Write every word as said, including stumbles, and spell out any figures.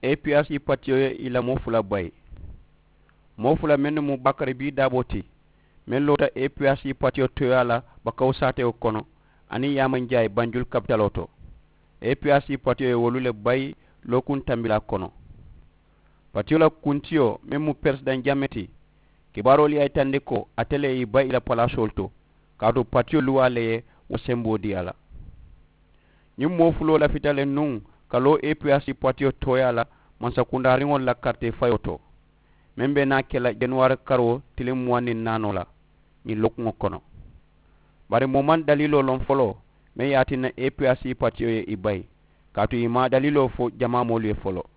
Epiyasi patiyo ye i la moo fula bayi. Moo fula mennu mu bakari bii daaboo ti, meŋ loota epiyasi patiyo tooyaa la bakawu saatewo kono, aniŋ yaamanjaayi banjulu kapitaloo to. Epiyasi patiyo ye wolu le bayi lookuŋ tambilaa kono. Patiyo la kuntiyo meŋ mu peresidaŋ jame ti, kibaaroolu ye a yitandi ko ate le ye i bayi i la palaasoolu to, kaatu patiyo luwaa le ye wo semboo dii a la. Ñiŋ moo fuloo lafita le nuŋ ka loo epiyasi patiyo tooyaa la mansakundaariŋolu la karitee fayoo to, meŋ be naa ke la januwaari karoo tiliŋ muwaŋ niŋ naanoo la ñiŋ lookuŋo kono. Bari moo maŋ daliiloo loŋ foloo meŋ ye a tinna epiyasi patiyo ye i bayi, kaatu i maŋ a daliiloo fo jamaa moolu ye foloo.